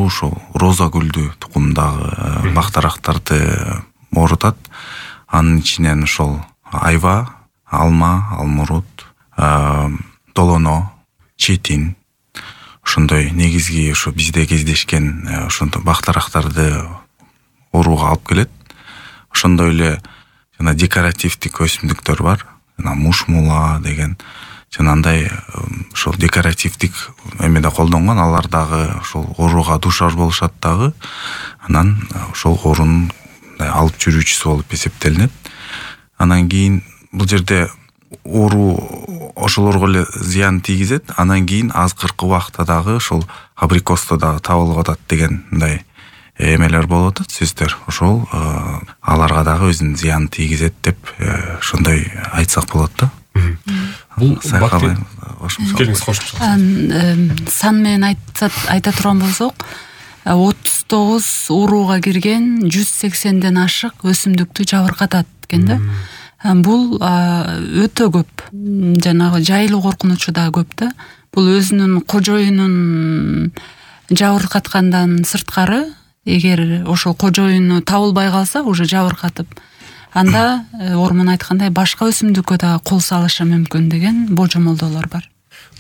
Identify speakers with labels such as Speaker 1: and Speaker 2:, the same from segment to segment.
Speaker 1: ошол роза гүлдү тукумдагы бактарактарды оорутат. Анын ичинен ошол айва, алма, алмурут, долоно, четин ошондой негизги ошо бизде кездешкен ошондой бактарактарды ооруга алып келет. Ошондой эле жана декоративдик өсүмдүктөр бар. Жана мушмула деген жанагындай ошол декоративдик эмеде колдонгон, алар дагы ошол ооруга дуушар болушат дагы. Анан ошол оорунун алып жүрүүчүсү болуп эсептелинет. Анан кийин бул жерде оору ошолорго эле зыян тийгизет. Анан кийин азыркы убакта дагы ошол абрикосто дагы табылып атат деген мындай эмелер болуп атат, сөздөр. Ошол аларга дагы өзүнүн зыянын тийгизет деп ошондой айтсак болот да.
Speaker 2: Бул
Speaker 3: келиңиз кошумча. Сан менен айта турган болсок, 39 урууга кирген 180ден ашык өсүмдүктү жабыркатат экен да. Бул өтө көп. Жанагы жайылуу коркунучу да көп да. Бул өзүнүн кожоюнун жабыркаткандан сырткары, эгер ошол кожоюну табылбай калса, уже жабыркатып, анда Ормон айткандай башка өсүмдүккө да кол салышы мүмкүн деген божомолдоолор бар.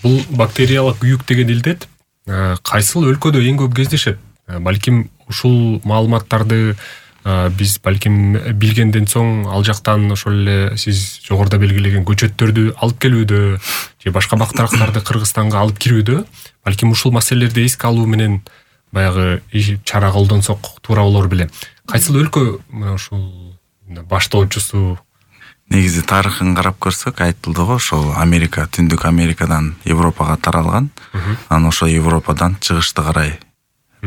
Speaker 2: Бул бактериялык күйүк деген илдет кайсыл өлкөдө эң көп кездешет? Балким ушул маалыматтарды биз балким билгенден соң ал жактан ошол эле сиз жогоруда белгилеген көчөттөрдү алып келүүдө же башка бактарактарды Кыргызстанга алып кирүүдө балким ушул маселелерди эске алуу менен баягы чара колдонсок туура болор беле. Кайсыл өлкө мына ушул баштоочусу?
Speaker 1: Негизи тарыхын карап көрсөк айтылды го, ошол Америка, Түндүк Америкадан Европага таралган. Анан ошол Европадан чыгышты карай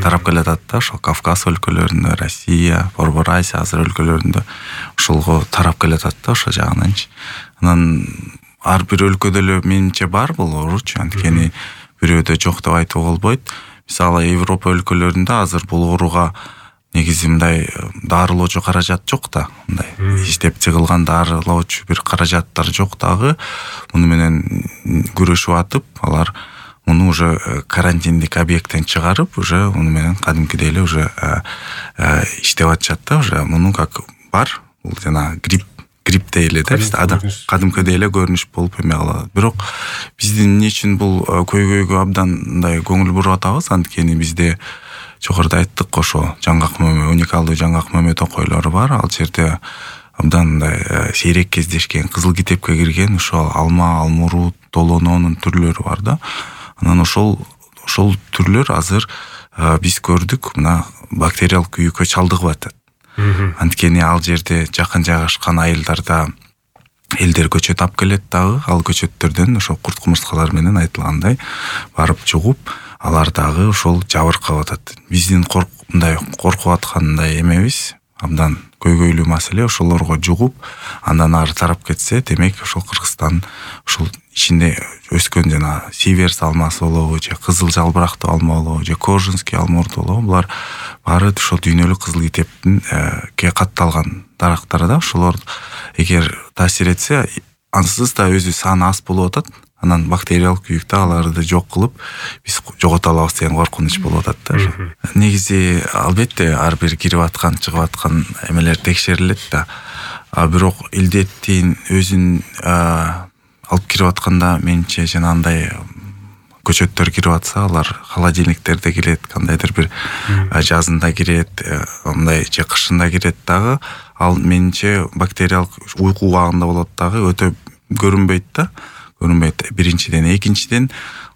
Speaker 1: тарап келатат да, ошол Кавказ өлкөлөрүндө, Россия, Борбор Азия, азыр өлкөлөрүндө ошолго тарап келатат да, ошол жагынанчы. Анан ар бир өлкөдө эле менимче бар бул ооручу, анткени бирөөдө жок деп айтууга болбойт. Мисалы Европа өлкөлөрүндө азыр бул ооруга негизи мындай дарылоочу каражат жок да, мындай иштеп чыгылган дарылоочу бир каражаттар жок дагы. Муну менен күрөшүп атып, алар муну уже карантиндик объекттен чыгарып, уже муну менен кадимкидей эле уже иштеп атышат да, уже муну как бар. Бул жана грипптей эле да, кадимкидей эле көрүнүш болуп эме калат. Бирок биздин эмне үчүн бул көйгөйгө абдан мындай көңүл буруп атабыз, анткени бизде жогоруда айттык, ошо жаңгак мөмө, уникалдуу жаңгак мөмө токойлору бар. Ал жерде абдан мындай сейрек кездешкен, кызыл китепке кирген ошол алма, алмурут, долононун түрлөрү бар да. Анан ошол түрлөр азыр биз көрдүк, мына бактериялык күйүккө чалдыгып атат. Анткени ал жерде жакын жайгашкан айылдарда элдер көчөт алып келет дагы, ал көчөттөрдөн ошол курт кумурскалар менен айтылгандай барып жугуп, алар дагы ошол жабыркап атат. Биздин мындай коркуп аткандай эмебиз, абдан көйгөйлүү маселе. Ошолорго жугуп, андан ары тарап кетсе, демек ошол Кыргызстан ошол ичинде өскөн жана сиверс алмасы болобу, же кызыл жалбырактуу алма болобу, же кожинский алмурут болобу, булар баары ошол дүйнөлүк кызыл китептин катталган дарактар да. Ошолор эгер таасир этсе, ансыз да өзү саны аз болуп атат. Анан бактериялык күйүктө аларды жок кылып, биз жогото алабыз деген коркунуч болуп атат да. Негизи албетте ар бир кирип аткан, чыгып аткан эмелер текшерилет да. Бирок илдеттин өзүн алып кирип атканда менимче жанагындай көчөттөр кирип атса, алар холодильниктерде кирет, кандайдыр бир жазында кирет, мындай же кышында кирет дагы. Ал менимче бактериялык уйку убагында болот дагы, өтө көрүнбөйт да. Биринчиден, экинчиден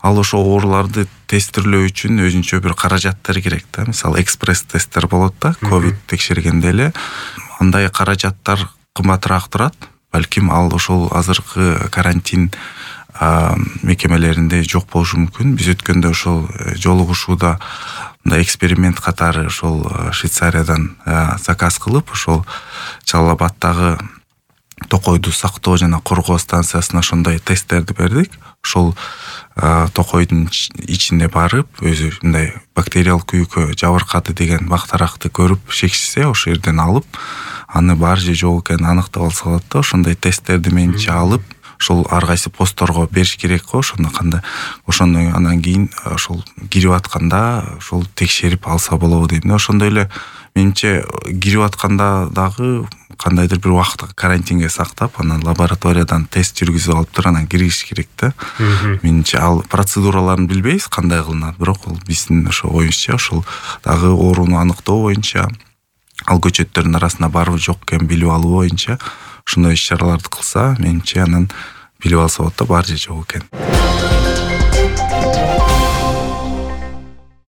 Speaker 1: ал ошо ооруларды тестирлөө үчүн өзүнчө бир каражаттар керек да. Мисалы экспресс тесттер болот да, ковид текшергенде эле. Андай каражаттар кымбатыраак турат. Балким ал ошол азыркы карантин мекемелеринде жок болушу мүмкүн. Биз өткөндө ошол жолугушууда мындай эксперимент катары ошол Швейцариядан заказ кылып, ошол Жалал Абадтагы токойду сактоо жана коргоо станциясына ошондой тесттерди бердик. Ошол токойдун ичинде барып, өзү мындай бактериялык күйүккө жабыркады деген бактаракты көрүп шекишсе, ошол жерден алып, аны бар же жок экенин аныктап алса болот да. Ошондой тесттерди менимче алып, ошол ар кайсы постторго бериш керек го. Ошондо кандай ошондон анан кийин ошол кирип атканда ошол текшерип алса болобу дейм да. Ошондой эле менимче кирип атканда дагы кандайдыр бир убакытка карантинге сактап, анан лабораториядан тест жүргүзүп алып туруп анан кириш керек да. Менимче ал процедураларын билбейбиз кандай кылынат, бирок ол биздин ошо оюбузча ошол дагы ооруну аныктоо боюнча, ал көчөттөрдүн арасында барбы жок экенин билип алуу боюнча ошондой иш-чараларды кылса, менимче анан билип алса болот да, бар же жок экен.